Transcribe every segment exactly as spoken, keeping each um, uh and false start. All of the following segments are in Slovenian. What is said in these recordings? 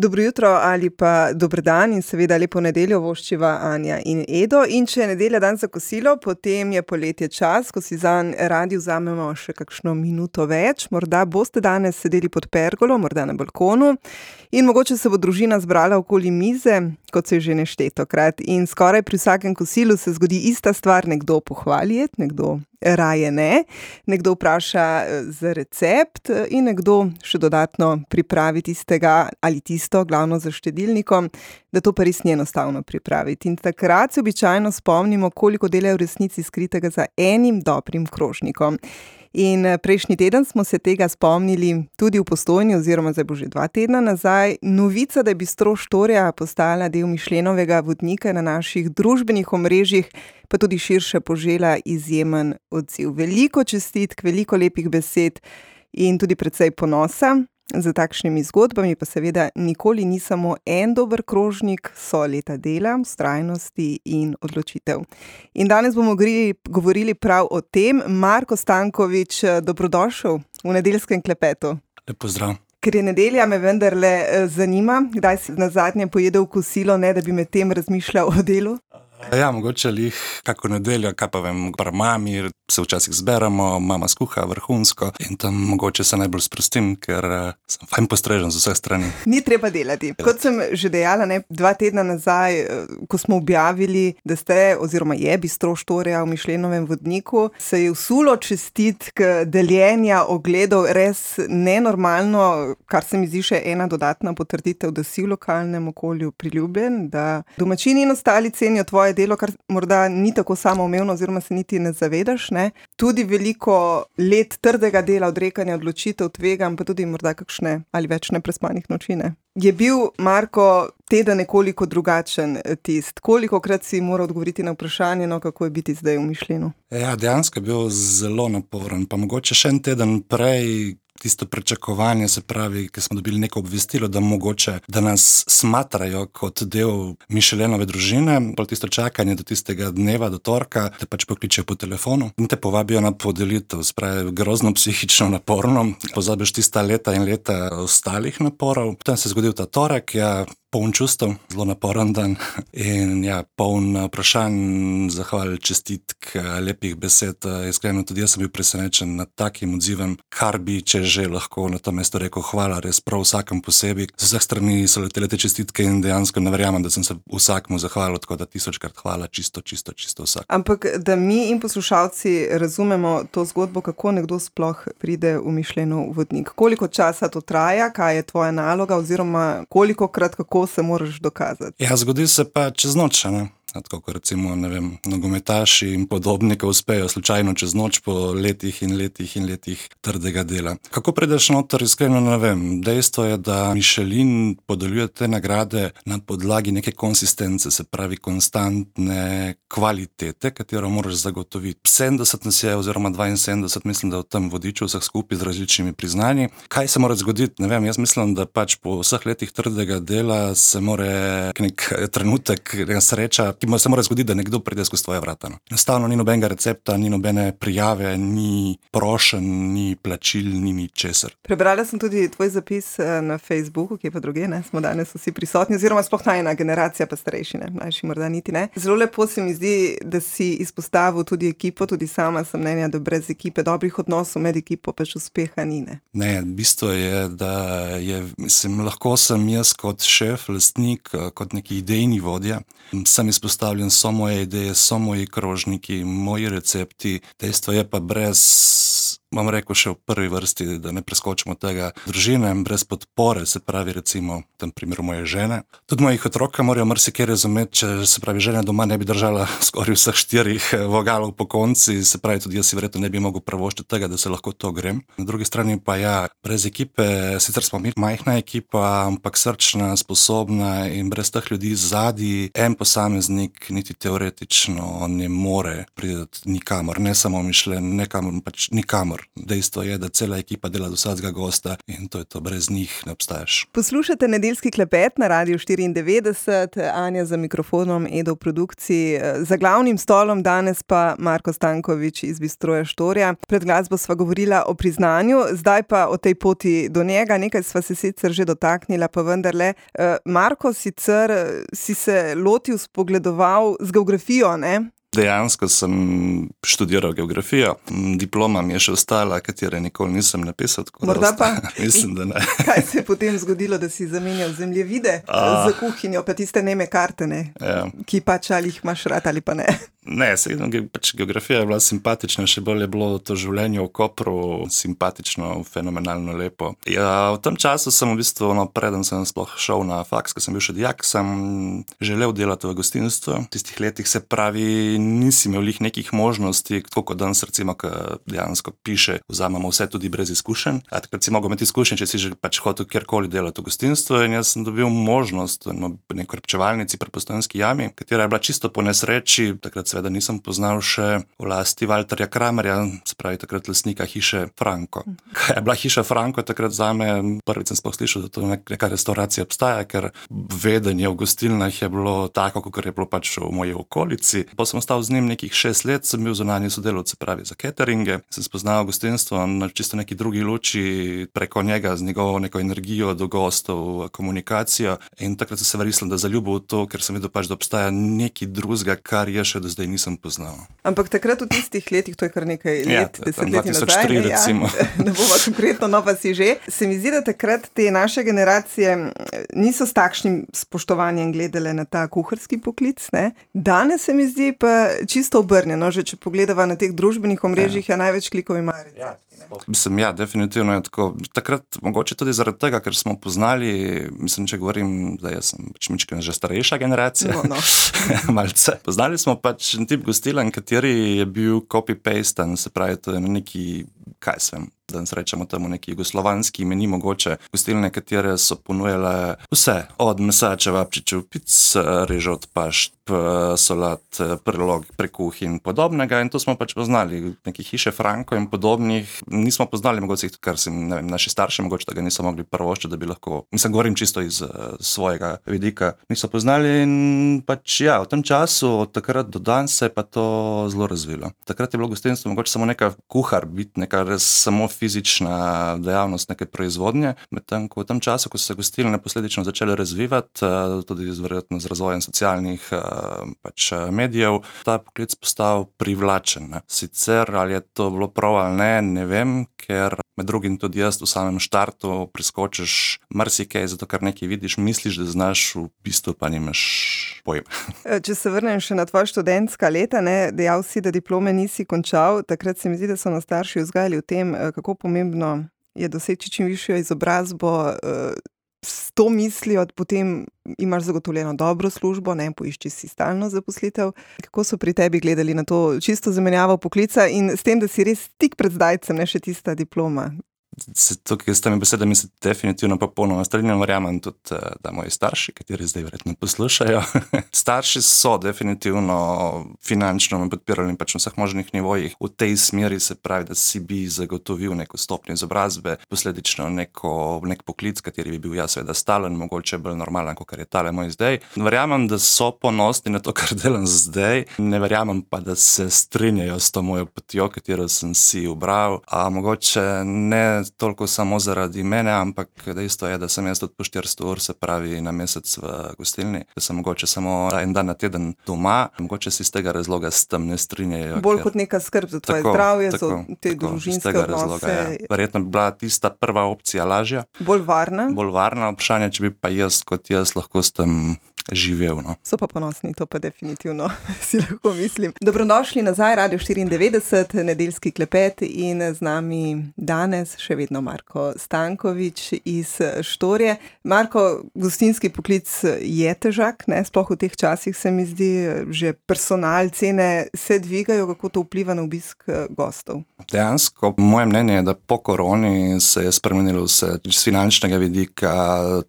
Dobro jutro ali pa dober dan in seveda lepo nedeljo voščiva Anja in Edo. In če je nedelja dan za kosilo, potem je poletje čas, ko si zanj radi vzamemo še kakšno minuto več. Morda boste danes sedeli pod pergolo, morda na balkonu in mogoče se bo družina zbrala okoli mize, kot se je že neštetokrat. In skoraj pri vsakem kosilu se zgodi ista stvar, nekdo pohvali jed, nekdo raje ne, nekdo vpraša za recept in nekdo še dodatno pripravi tistega ali tisto, glavno za štedilnikom, da to pa res ni enostavno pripraviti. In takrat se običajno spomnimo, koliko dela je v resnici skritega za enim dobrim krožnikom. In prejšnji teden smo se tega spomnili tudi v Postojni, oziroma zdaj bo že dva tedna nazaj. Novica, da je bistro Štorija postala del Michelinovega vodnika na naših družbenih omrežjih, pa tudi širše požela izjemen odziv. Veliko čestitk, veliko lepih besed in tudi precej ponosa. Za takšnimi zgodbami pa seveda nikoli ni samo en dober krožnik, so leta dela, vztrajnosti in odločitev. In danes bomo govorili prav o tem. Marko Stanković, dobrodošel v nedeljskem klepetu. Lep pozdrav. Ker je nedelja, me vendarle zanima, kdaj si nazadnje pojedel kosilo, ne da bi med tem razmišljal o delu? Ja, mogoče lih kako nedeljo, kaj pa vem, pri mami se včasih zberemo, mama skuha vrhunsko in tam mogoče se najbolj sprostim, ker sem fajn postrežen z vseh strani. Ni treba delati. Kot sem že dejala, ne, dva tedna nazaj, ko smo objavili, da ste, oziroma je bistro Štorija v Michelinovem vodniku, se je vsulo čestitk, deljenja, ogledov, res nenormalno, kar se mi zdi še ena dodatna potrditev, da si v lokalnem okolju priljubljen, da domačini in ostali cenijo tvoje delo, kar morda ni tako samoumevno oziroma se niti ne zavedaš, ne. Tudi veliko let trdega dela, odrekanja odločitev, tveganj, pa tudi morda kakšne ali več neprespanih noči, ne. Je bil, Marko, teden nekoliko drugačen tist? Kolikokrat si moral odgovoriti na vprašanje, no, kako je biti zdaj v Michelinu? Ja, dejansko je bil zelo naporen, pa mogoče še en teden prej tisto pričakovanje, se pravi, ki smo dobili neko obvestilo, da mogoče, da nas smatrajo kot del Michelinove družine, pol tisto čakanje do tistega dneva, do torka, te pač pokličejo po telefonu in te povabijo na podelitev, se pravi, grozno psihično naporno, pozabiš tista leta in leta ostalih naporov. Potem se je zgodil ta torek, ja, poln čustev, zelo naporen dan in ja, poln vprašanj, zahval, čestitk, lepih besed. Iskreno tudi jaz sem bil presenečen nad takim odzivem, kar bi, če že lahko na to mesto rekel hvala, res prav vsakem posebej. Z vseh strani so letele te čestitke in dejansko ne verjamem, da sem se vsakmu zahvalil, tako da tisočkrat hvala, čisto, čisto, čisto vsak. Ampak da mi in poslušalci razumemo to zgodbo, kako nekdo sploh pride v Michelinov vodnik. Koliko časa to traja, kaj je tvoja naloga oziroma kolikokrat, kako se moraš dokazati? Ja, zgodi se pa čez noč, ne? Tako kot recimo, ne vem, nogometaši in podobnika uspejo slučajno čez noč po letih in letih in letih trdega dela. Kako prideš noter, iskreno ne vem. Dejstvo je, da Michelin podeljuje te nagrade na podlagi neke konsistence, se pravi konstantne kvalitete, katero moraš zagotoviti. sedemdeset nas je, oziroma dvainsedemdeset, mislim, da v tem vodiču vseh skupaj z različnimi priznanji. Kaj se mora zgoditi? Ne vem, jaz mislim, da pač po vseh letih trdega dela se more nek trenutek, neka sreča, ki se mora zgoditi, da nekdo pride skozi tvoje vrata. Enostavno ni nobenega recepta, ni nobene prijave, ni prošen, ni plačil, ni ničesar. Prebrala sem tudi tvoj zapis na Facebooku, ki je pa druge, ne, smo danes vsi prisotni, oziroma sploh najina generacija pa starejši, ne, mlajši morda niti ne. Zelo lepo se mi zdi, da si izpostavil tudi ekipo, tudi sama sem mnenja, da brez ekipe, dobrih odnosov med ekipo pač uspeha ni, ne. Ne, bistvo je, da je, mislim, lahko sem jaz kot šef, lastnik, kot neki idejni vodja, sem izpostavljen, so moje ideje, so moji krožniki, moji recepti. Dejstvo je pa brez, bom rekel še v prvi vrsti, da ne preskočimo tega, družine, brez podpore, se pravi recimo v tem primeru moje žene. Tudi mojih otroka morajo marsikaj razumeti, če se pravi žena doma ne bi držala skoraj vseh štirih vogalov po konci, se pravi tudi jaz si verjetno ne bi mogel pravoščiti tega, da se lahko to grem. Na drugi strani pa ja, brez ekipe, sicer smo mi majhna ekipa, ampak srčna, sposobna in brez teh ljudi zadaj en posameznik niti teoretično ne more priti nikamor, ne samo Michelin, nekam, pač nikamor. humor. Dejstvo je, da cela ekipa dela do vsakega gosta in to je to, brez njih ne obstaješ. Poslušate Nedeljski klepet na Radiu štiriindevetdeset, Anja za mikrofonom, Edo v produkciji. Za glavnim stolom danes pa Marko Stanković iz Bistroja Štorja. Pred glasbo sva govorila o priznanju, zdaj pa o tej poti do njega. Nekaj sva se sicer že dotaknila, pa vendarle. Marko, sicer si se lotil, spogledoval z geografijo, ne? Dejansko sem študiral geografijo, diploma mi je še ostala, katere nikoli nisem napisal. Morda pa? Mislim, da ne. Kaj se je potem zgodilo, da si zamenjal zemljevide A. za kuhinjo, pa tiste neme karte, ne? Ja. Ki pač ali jih imaš rad ali pa ne? Ne, sejno, pač geografija je bila simpatična, še bolj je bilo to življenje v Kopru simpatično, fenomenalno lepo. Ja, v tem času sem v bistvu, no, preden sem sploh šel na faks, ko sem bil še dijak, sem želel delati v gostinstvu. V tistih letih se pravi, nisi imel lih nekih možnosti, tako kot danes recimo, ko dejansko piše, vzamemo vse tudi brez izkušenj. A takrat si mogel imeti izkušenj, če si že pač hotel kjerkoli delati v gostinstvu, in jaz sem dobil možnost v neki repčevalnici pri Postojnski jami, katera je bila čisto po nesreči, takrat seveda nisem poznal še v lasti Valterja Kramerja, se pravi takrat lastnika hiše Franko. Kaj je bila hiša Franko takrat zame, prvič sem sploh slišal, da to neka restauracija obstaja, ker vedenje v gostilnah je bilo tako, kot je bilo pač v moji okolici. Pa sem ostal z njim nekih šest let, sem bil zunanji sodelavec, se pravi za cateringe, sem spoznal gostinstvo na čisto neki drugi luči preko njega, z njegovo neko energijo do gostov, komunikacijo, in takrat sem se verjetno da zaljubil v to, ker sem videl pač, da obstaja nekaj drugega, kar je še do zdaj nisem poznal. Ampak takrat v tistih letih, to je kar nekaj let, Ja, desetletij dva tisoč tri nazaj, recimo. Ja, ne bomo konkretno, no pa si že. Se mi zdi, da takrat te naše generacije niso s takšnim spoštovanjem gledale na ta kuharski poklic, ne? Danes se mi zdi pa čisto obrnjeno, že če pogledava na teh družbenih omrežjih, je največ klikov ima. Ja. Mislim, ja, definitivno je tako. Takrat mogoče tudi zaradi tega, ker smo poznali, mislim, če govorim, da jaz sem pač mičken že starejša generacija, No, no. malce. Poznali smo pač en tip gostilen, kateri je bil copy-pasten, se pravi, to je neki, kaj svem, danes rečemo temu neki jugoslovanski meni, mogoče gostilne, katere so ponujale vse, od mesa, čevapčičev, pic, režot, pašt, solat, prelog, prekuh in podobnega, in to smo pač poznali. Neki hiše Franko in podobnih nismo poznali, mogoče, kar si, ne vem, naši starši mogoče tega niso mogli prvoščiti, da bi lahko, mislim, govorim čisto iz uh, svojega vidika, niso poznali, in pač ja, v tem času, od takrat do danes se je pa to zelo razvilo. Takrat je bilo gostinstvo mogoče samo neka kuhar, biti neka res samo fizična dejavnost, neke proizvodnje, medtem ko v tem času, ko so se gostilne posledično začele razvivati, tudi verjetno z razvojem socialnih pač medijev, ta poklic postal privlačen. Ne. Sicer, ali je to bilo prav ali ne, ne vem, ker med drugim tudi jaz v samem štartu preskočiš marsikaj, zato ker nekaj vidiš, misliš, da znaš, v bistvu pa nimaš pojma. Če se vrnem še na tvoja študentska leta, ne, dejal si, da diplome nisi končal, takrat se mi zdi, da so nas starši vzgajali v tem, kako pomembno je doseči čim višjo izobrazbo, s to mislijo, potem imaš zagotovljeno dobro službo, ne, poišči si stalno zaposlitev. Kako so pri tebi gledali na to čisto zamenjavo poklica in s tem, da si res tik pred zdajcem, ne, še tista diploma? Se tukaj s temi besedami se definitivno popolnoma strinjam, verjamem tudi, da moji starši, kateri zdaj verjetno poslušajo, starši so definitivno finančno me podpirali pač na vseh možnih nivojih. V tej smeri se pravi, da si bi zagotovil neko stopnjo izobrazbe, posledično neko, nek poklic, kateri bi bil jaz seveda stalen, mogoče bolj normalen, kot je tale moj zdaj. Verjamem, da so ponosni na to, kar delam zdaj, ne verjamem pa, da se strinjajo s to mojo potjo, katero sem si ubral, a mogoče ne toliko samo zaradi mene, ampak dejstvo je, da sem jaz tudi po štiristo ur, se pravi na mesec v gostilni, da sem mogoče samo en dan na teden doma, mogoče si iz tega razloga s tem ne strinjajo. Bolj ker... kot neka skrb za tvoje tako, zdravje, tako, za te tako, družinske odnose. Razloga, ja. Verjetno bi bila tista prva opcija lažja. Bolj varna. Bolj varna vprašanje, če bi pa jaz kot jaz lahko s tem živel. No. So pa ponosni, to pa definitivno si lahko mislim. Dobrodošli nazaj, Radio štiriindevetdeset, Nedeljski klepet, in z nami danes še vedno Marko Stanković iz Štorje. Marko, gostinski poklic je težak, ne? Sploh v teh časih se mi zdi, že personal, cene se dvigajo, kako to vpliva na obisk gostov? Dejansko, moje mnenje je, da po koroni se je spremenilo vse z finančnega vidika,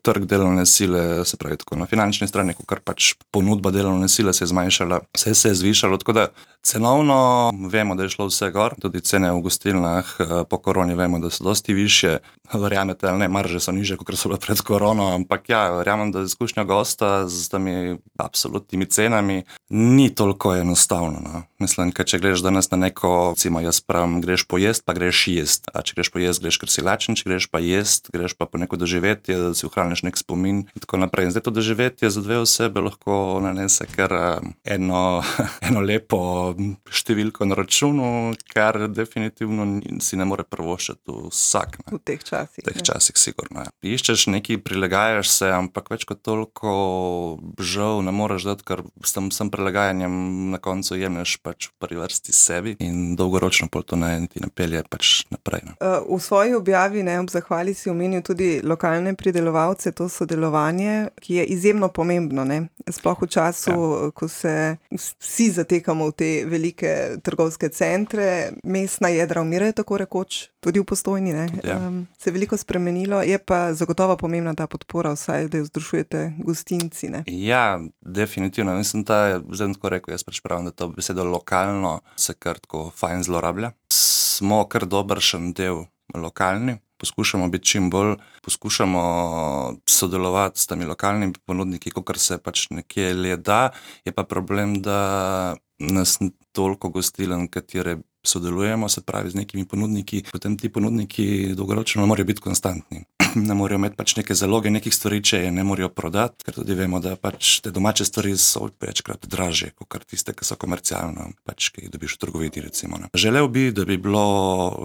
trg delovne sile, se pravi tako na finančni strani, kar pač ponudba delovne sile se je zmanjšala, vse se je zvišalo, tako da Cenovno vemo, da je šlo vse gor, tudi cene v gostilnah po koroni vemo, da so dosti višje. Verjamete ali ne, marže so nižje, kot so bile pred korono, ampak ja, verjamem, da izkušnja gosta z temi absolutnimi cenami ni toliko enostavno. No. Mislim, ker če greš danes na neko, recimo jaz pravim, greš pojest, pa greš jest. A če greš pojest, greš, ker si lačen, če greš pa jest, greš pa po neko doživetje, da si ohraniš nek spomin in tako naprej. In zdaj to doživetje za dve osebe lahko nanese kar eno, eno lepo številko na računu, kar definitivno si ne more privoščiti vsak. Ne. V teh časih. V teh časih, sigurno. Ja. Iščeš nekaj, prilagajaš se, ampak več kot toliko žal ne moreš dati, ker s tem, s tem prilagajanjem na koncu jemlješ pač v prvi vrsti sebi in dolgoročno pol to ne, ti ne pelje pač naprej. Ne. V svoji objavi, ne, ob zahvali si omenil tudi lokalne pridelovalce, to sodelovanje, ki je izjemno pomembno, ne. Sploh v času, ja. Ko se vsi zatekamo v te velike trgovske centre, mestna jedra umirajo tako rekoč, tudi v Postojni, ne. Ja. Um, se je veliko spremenilo, je pa zagotovo pomembna ta podpora, vsaj, da jo združujete gostinci, ne. Ja, definitivno. Mislim, da zdaj tako rekel, jaz pač pravim, da to besedo lokalno se kar tako fajn zlorablja. Smo kar dobršen del lokalni, poskušamo biti čim bolj, poskušamo sodelovati s temi lokalnimi ponudniki, kakor se pač nekje le da, je pa problem, da nas ni toliko gostiln, katere sodelujemo, se pravi z nekimi ponudniki, potem ti ponudniki dolgoročno morajo biti konstantni. Ne morajo imeti pač neke zaloge nekih stvari, če je ne morajo prodati, ker tudi vemo, da pač te domače stvari so večkrat dražje, kot tiste, ki so komercialno, pač, ki jih dobiš v trgovini, recimo. Ne. Želel bi, da bi bilo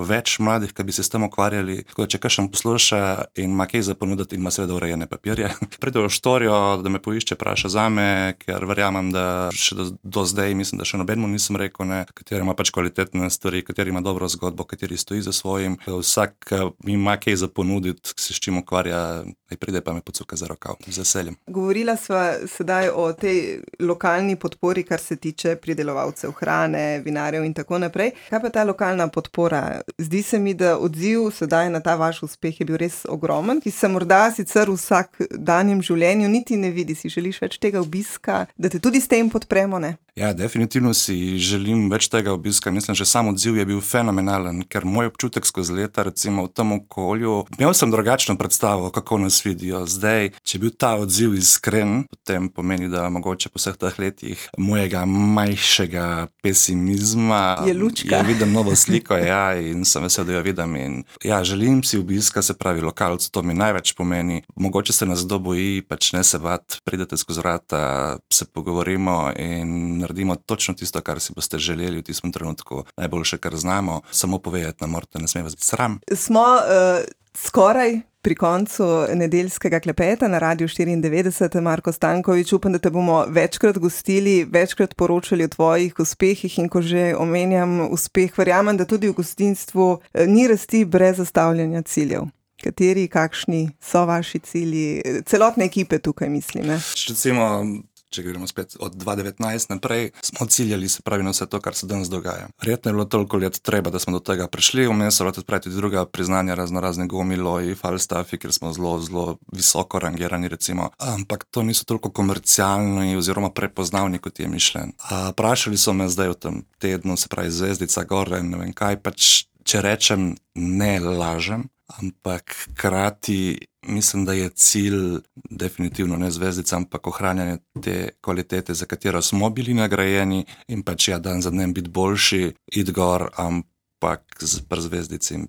več mladih, ki bi se s tem ukvarjali, tako da če kakšen posluša in ima kaj za ponuditi in ima seveda urejene papirje, pride v štorijo, da me poišče, praša zame, ker verjamem, da še do, do zdaj, mislim, da še nobenemu nisem rekel, ne, kateri ima pač kvalitetne stvari, kateri ima dobro zgodbo, kateri stoji za svojim, vsak ima kaj za ponuditi, s čim ukvarja, aj pride pa me pocuka za rokav, z veseljem. Govorila sva sedaj o tej lokalni podpori, kar se tiče pridelovalcev hrane, vinarjev in tako naprej. Kaj pa ta lokalna podpora? Zdi se mi, da odziv sedaj na ta vaš uspeh je bil res ogromen, ki se morda sicer v vsakdanjem življenju niti ne vidi. Si želiš več tega obiska, da te tudi s tem podpremo, ne? Ja, definitivno si želim več tega obiska. Mislim, že sam odziv je bil fenomenalen, ker moj občutek skozi leta, recimo v tem okolju, imel sem drugačno predstavo, kako nas vidijo. Zdaj, če je bil ta odziv iskren, potem pomeni, da mogoče po vseh teh letih mojega manjšega pesimizma je lučka. Je vidim novo sliko, ja, in sem vesel, da jo vidim. In ja, želim si obiska, se pravi lokalc, to mi največ pomeni. Mogoče se nas kdo boji, pač ne se bat, pridete skozi vrata, se pogovorimo in naredimo točno tisto, kar si boste želeli v tistem trenutku, najboljše, kar znamo. Samo povedati nam morate, ne sme vas biti sram. Smo uh, skoraj pri koncu nedeljskega klepeta na Radiu štiriindevetdeset. Marko Stanković, upam, da te bomo večkrat gostili, večkrat poročali o tvojih uspehih in ko že omenjam uspeh, verjamem, da tudi v gostinstvu ni rasti brez zastavljanja ciljev. Kateri, kakšni so vaši cilji, celotne ekipe tukaj, mislim, ne? Recimo, če gremo spet od dva tisoč devetnajst naprej, smo ciljali, se pravi, na vse to, kar se danes dogaja. Verjetno je bilo toliko let treba, da smo do tega prišli, vmes so tudi pravi druga priznanja, razno razne gomiloji, falstaffi, ker smo zelo, zelo visoko rangirani, recimo. Ampak to niso toliko komercialni oziroma prepoznavni, kot je mišljen. A vprašali so me zdaj v tem tednu, se pravi zvezdica, gore, ne vem kaj, pač, če rečem, ne lažem, ampak hkrati mislim, da je cilj definitivno ne zvezdica, ampak ohranjanje te kvalitete, za katero smo bili nagrajeni in pač ja, dan za dnem biti boljši, id gor, ampak pri zvezdici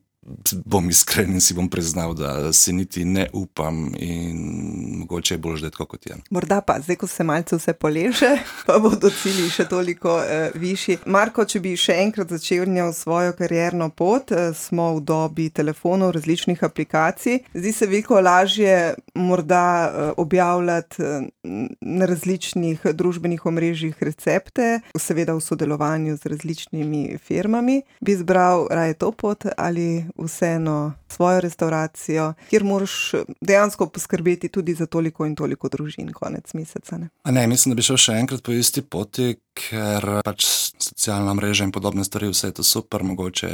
bom iskren in si bom priznal, da si niti ne upam in mogoče je bolj ždet, kot je. Morda pa, zdaj, ko se malce vse poleže, pa bodo cilji še toliko eh, višji. Marko, če bi še enkrat začel svojo karierno pot, eh, smo v dobi telefonov, različnih aplikacij. Zdi se veliko lažje morda eh, objavljati eh, na različnih družbenih omrežjih recepte, seveda v sodelovanju z različnimi firmami. Bi izbral raje to pot ali vseeno svojo restauracijo, kjer moraš dejansko poskrbeti tudi za toliko in toliko družin konec meseca, ne? A ne, mislim, da bi šel še enkrat po isti poti, ker pač socialna mreža in podobne stvari, vse je to super, mogoče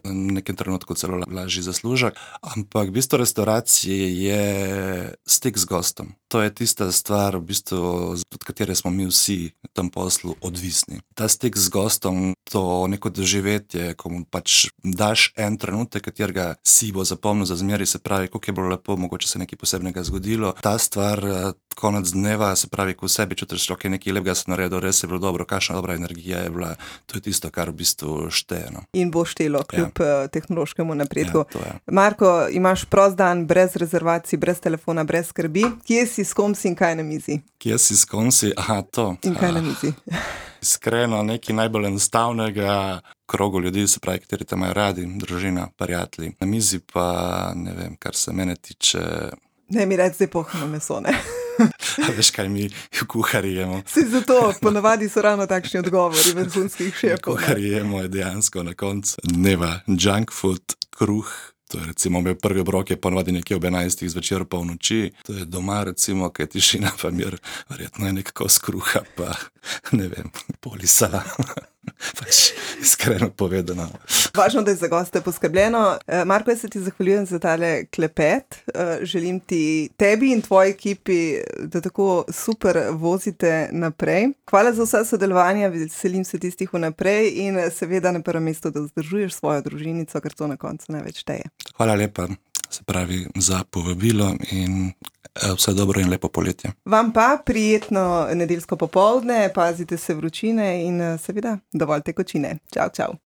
v nekem trenutku celo lažji zaslužek, ampak v bistvu restauracije je stik z gostom. To je tista stvar, v bistvu, od katere smo mi vsi v tem poslu odvisni. Ta stik z gostom, to neko doživetje, ko mu pač daš en trenutek, katerega si bo zapomnil za zmeri, se pravi, koliko je bilo lepo, mogoče se nekaj posebnega zgodilo. Ta stvar, konec dneva, se pravi, ko v sebi čutiš, ok, nekaj lepega se naredil, res je bilo dobro, kakšna dobra energija je bila, to je tisto, kar v bistvu šteje. No. In bo štelo, kljub ja. tehnološkemu napredku. Ja, Marko, imaš prost dan, brez rezervacij, brez telefona, brez skrbi. Kje si, s kom si in kaj na mizi? Kje si, s kom si? Aha, to. In kaj na mizi? Iskreno, nekaj najbolj enostavnega krogu ljudi, se pravi, kateri te imajo radi, družina, prijatelji. Na mizi pa, ne vem, kar se mene tiče... Ne mi reči, zdaj pohno meso, ne? A veš, kaj mi kuhari jemo? Si zato, ponavadi so ravno takšni odgovori vrhunskih šefov. Kuhari jemo je dejansko na koncu dneva junk food, kruh. To je recimo moj prvi obrok je ponavadi nekje ob enajstih zvečer pa v noči. To je doma recimo, kaj je tišina pa mir, verjetno je nekako skruha pa ne vem, polisa. Pač iskreno povedano. Važno, da je za goste poskrbljeno. Marko, jaz se ti zahvaljujem za tale klepet. Želim ti tebi in tvoji ekipi, da tako super vozite naprej. Hvala za vse sodelovanje, veselim se tistih vnaprej in seveda na prvem mestu, da vzdržuješ svojo družinico, ker to na koncu največ šteje. Hvala lepa, se pravi, za povabilo in vse dobro in lepo poletje. Vam pa prijetno nedeljsko popoldne, pazite se vročine in seveda dovolj tekočine. Čau, čau.